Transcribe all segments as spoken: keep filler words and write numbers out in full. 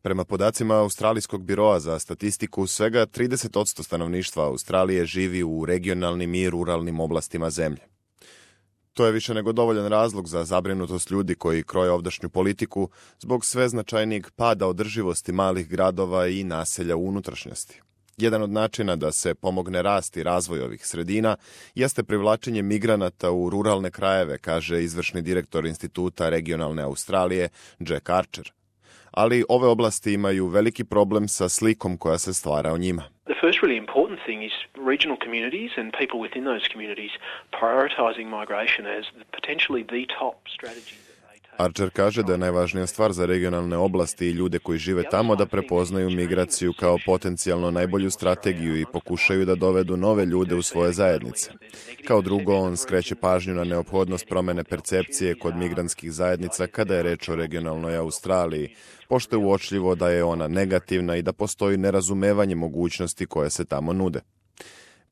Prema podacima Australijskog biroa za statistiku, svega trideset posto stanovništva Australije živi u regionalnim i ruralnim oblastima zemlje. To je više nego dovoljan razlog za zabrinutost ljudi koji kroje ovdašnju politiku zbog sve značajnijeg pada održivosti malih gradova i naselja u unutrašnjosti. Jedan od načina da se pomogne rast i razvoj ovih sredina jeste privlačenje migranata u ruralne krajeve, kaže izvršni direktor Instituta regionalne Australije Jack Archer. Ali ove oblasti imaju veliki problem sa slikom koja se stvara o njima. The first really important thing is regional communities and people within those communities prioritizing migration as potentially the top strategy. Archer kaže da je najvažnija stvar za regionalne oblasti i ljude koji žive tamo da prepoznaju migraciju kao potencijalno najbolju strategiju i pokušaju da dovedu nove ljude u svoje zajednice. Kao drugo, on skreće pažnju na neophodnost promene percepcije kod migrantskih zajednica kada je reč o regionalnoj Australiji, pošto je uočljivo da je ona negativna i da postoji nerazumevanje mogućnosti koje se tamo nude.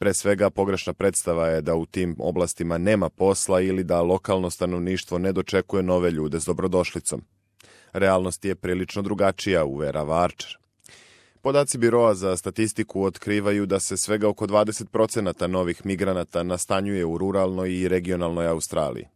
Pre svega, pogrešna predstava je da u tim oblastima nema posla ili da lokalno stanovništvo ne dočekuje nove ljude s dobrodošlicom. Realnost je prilično drugačija, uverava Archer. Podaci Biroa za statistiku otkrivaju da se svega oko dvadeset procenata novih migranata nastanjuje u ruralnoj i regionalnoj Australiji.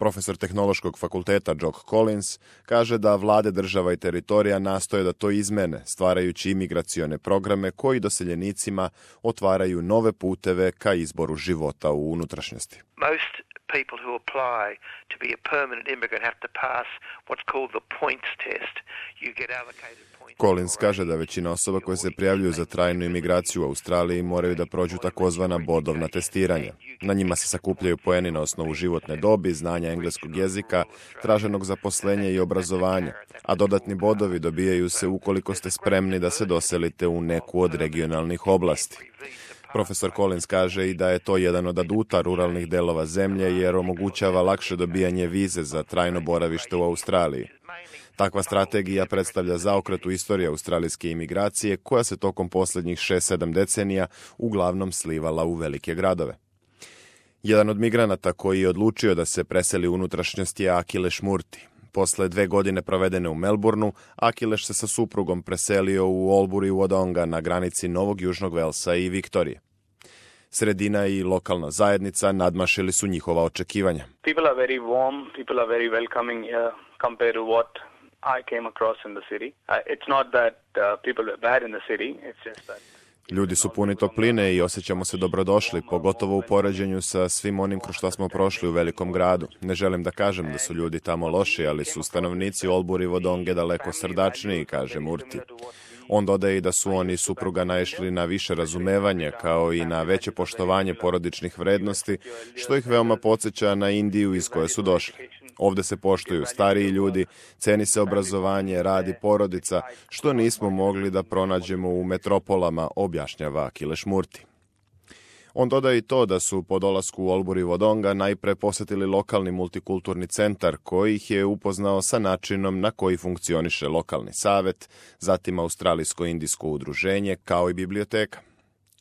Profesor Tehnološkog fakulteta Jock Collins kaže da vlade država i teritorija nastoje da to izmene, stvarajući imigracione programe koji doseljenicima otvaraju nove puteve ka izboru života u unutrašnjosti. Most people who apply to be a permanent immigrant have to pass what's called the points test. You get allocated points. Collins kaže da većina osoba koje se prijavljuju za trajnu imigraciju u Australiji moraju da prođu takozvana bodovna testiranja. Na njima se sakupljaju poeni na osnovu životne dobi, znanja engleskog jezika, traženog zaposlenja i obrazovanja, a dodatni bodovi dobijaju se ukoliko ste spremni da se doselite u neku od regionalnih oblasti. Profesor Collins kaže i da je to jedan od aduta ruralnih delova zemlje jer omogućava lakše dobijanje vize za trajno boravište u Australiji. Takva strategija predstavlja zaokret u istoriji australijske imigracije koja se tokom posljednjih šest sedam decenija uglavnom slivala u velike gradove. Jedan od migranata koji je odlučio da se preseli u unutrašnjost je Akileš Murti. Posle dve godine provedene u Melbourneu, Akileš se sa suprugom preselio u Albury Wodonga na granici Novog Južnog Velsa i Viktorije. Sredina i lokalna zajednica nadmašili su njihova očekivanja. People are very warm, people are very welcoming here compared to what I came across in the city. Uh, it's not that uh, people were bad in the city, it's just that Ljudi su puni topline i osjećamo se dobrodošli, pogotovo u poređenju sa svim onim kroz što smo prošli u velikom gradu. Ne želim da kažem da su ljudi tamo loši, ali su stanovnici Albury Wodonge daleko srdačniji, kaže Murti. On dodaje i da su oni i supruga naišli na više razumevanja, kao i na veće poštovanje porodičnih vrednosti, što ih veoma podsjeća na Indiju iz koje su došli. Ovde se poštuju stariji ljudi, ceni se obrazovanje, rad i porodica, što nismo mogli da pronađemo u metropolama, objašnjava Akileš Murti. On dodaje i to da su po dolasku u Albury Wodonga najpre posetili lokalni multikulturni centar koji ih je upoznao sa načinom na koji funkcioniše lokalni savet, zatim Australijsko-indijsko udruženje, kao i biblioteka.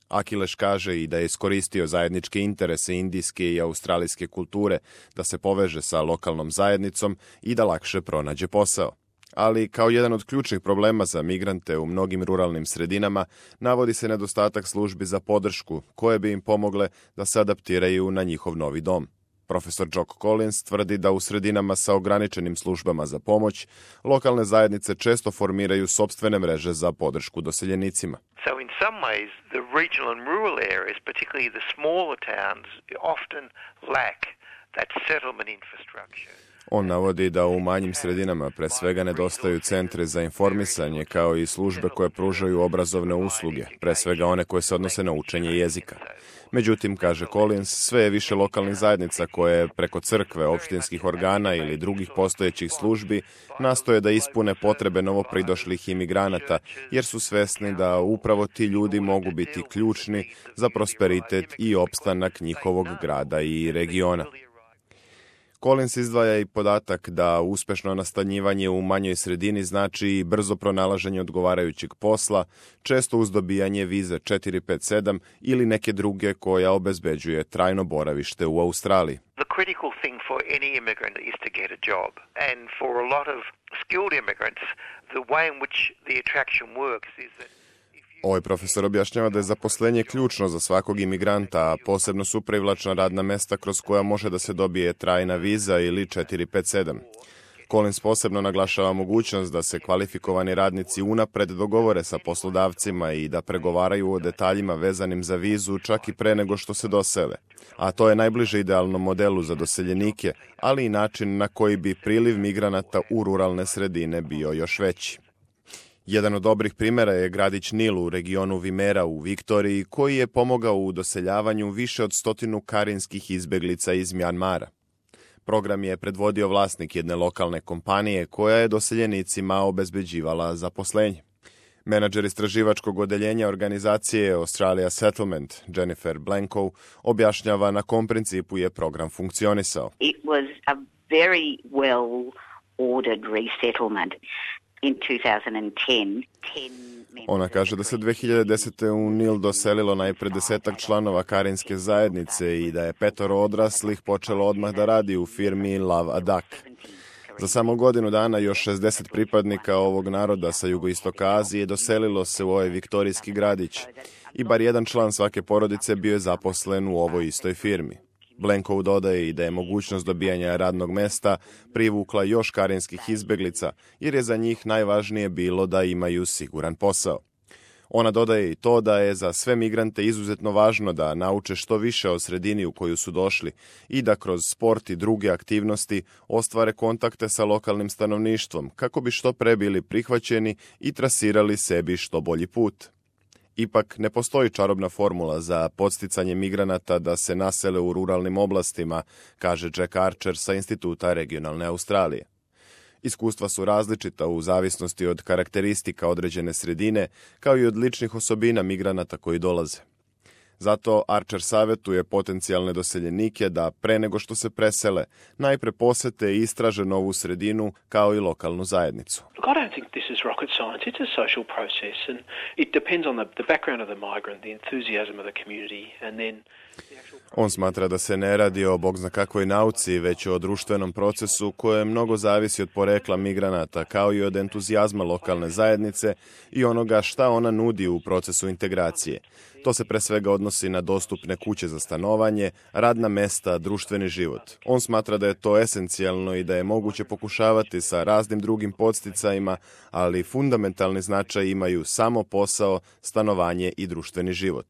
Akileš kaže i da je iskoristio zajedničke interese indijske i australijske kulture da se poveže sa lokalnom zajednicom i da lakše pronađe posao. Ali kao jedan od ključnih problema za migrante u mnogim ruralnim sredinama navodi se nedostatak službi za podršku koje bi im pomogle da se adaptiraju na njihov novi dom. Profesor Jock Collins tvrdi da u sredinama sa ograničenim službama za pomoć lokalne zajednice često formiraju sopstvene mreže za podršku doseljenicima. So in some ways the regional and rural areas, particularly the smaller towns, often lack that settlement infrastructure. On navodi da u manjim sredinama pre svega nedostaju centri za informisanje kao i službe koje pružaju obrazovne usluge, pre svega one koje se odnose na učenje jezika. Međutim, kaže Collins, sve je više lokalnih zajednica koje preko crkve, opštinskih organa ili drugih postojećih službi nastoje da ispune potrebe novopridošlih imigranata, jer su svesni da upravo ti ljudi mogu biti ključni za prosperitet i opstanak njihovog grada i regiona. Collins izdvaja i podatak da uspešno nastanjivanje u manjoj sredini znači i brzo pronalaženje odgovarajućeg posla, često uz dobijanje vize četiri pet sedam ili neke druge koja obezbeđuje trajno boravište u Australiji. The critical thing for any immigrant is to get a job. And for a lot of skilled immigrants, the way in which the attraction works is that Ovaj profesor objašnjava da je zaposlenje ključno za svakog imigranta, a posebno su privlačna radna mesta kroz koja može da se dobije trajna viza ili četiri pet sedam. Collins posebno naglašava mogućnost da se kvalifikovani radnici unapred dogovore sa poslodavcima i da pregovaraju o detaljima vezanim za vizu čak i pre nego što se dosele. A to je najbliže idealnom modelu za doseljenike, ali i način na koji bi priliv migranata u ruralne sredine bio još veći. Jedan od dobrih primjera je gradić Nil u regionu Vimera u Viktoriji, koji je pomogao u doseljavanju više od stotinu karinskih izbeglica iz Mjanmara. Program je predvodio vlasnik jedne lokalne kompanije koja je doseljenicima obezbeđivala zaposlenje. Menadžer istraživačkog odeljenja organizacije Australia Settlement, Jennifer Blanco, objašnjava na kom principu je program funkcionisao. It was a very well ordered resettlement. In two thousand ten, Ona kaže da se dve hiljade desete. u Nil doselilo najpre desetak članova karinske zajednice i da je petoro odraslih počelo odmah da radi u firmi Love Adak. Za samo godinu dana još šezdeset pripadnika ovog naroda sa jugoistoka Azije doselilo se u ovaj viktorijski gradić i bar jedan član svake porodice bio je zaposlen u ovoj istoj firmi. Blanco dodaje i da je mogućnost dobijanja radnog mesta privukla još karinskih izbeglica, jer je za njih najvažnije bilo da imaju siguran posao. Ona dodaje i to da je za sve migrante izuzetno važno da nauče što više o sredini u koju su došli i da kroz sport i druge aktivnosti ostvare kontakte sa lokalnim stanovništvom kako bi što pre bili prihvaćeni i trasirali sebi što bolji put. Ipak ne postoji čarobna formula za podsticanje migranata da se nasele u ruralnim oblastima, kaže Jack Archer sa Instituta regionalne Australije. Iskustva su različita u zavisnosti od karakteristika određene sredine, kao i od ličnih osobina migranata koji dolaze. Zato Archer savjetuje potencijalne doseljenike da pre nego što se presele, najpre posete i istraže novu sredinu kao i lokalnu zajednicu. Look, I don't think this is rocket science. It's a social process and it depends on the, the background of the migrant, the enthusiasm of the community and then On smatra da se ne radi o bog zna kakvoj nauci, već o društvenom procesu koje mnogo zavisi od porekla migranata, kao i od entuzijazma lokalne zajednice i onoga šta ona nudi u procesu integracije. To se pre svega odnosi na dostupne kuće za stanovanje, radna mesta, društveni život. On smatra da je to esencijalno i da je moguće pokušavati sa raznim drugim podsticajima, ali fundamentalni značaj imaju samo posao, stanovanje i društveni život.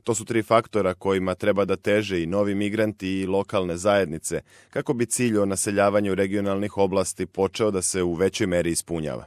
To su tri faktora kojima treba da teže i novi migranti i lokalne zajednice, kako bi cilj o naseljavanju regionalnih oblasti počeo da se u većoj meri ispunjava.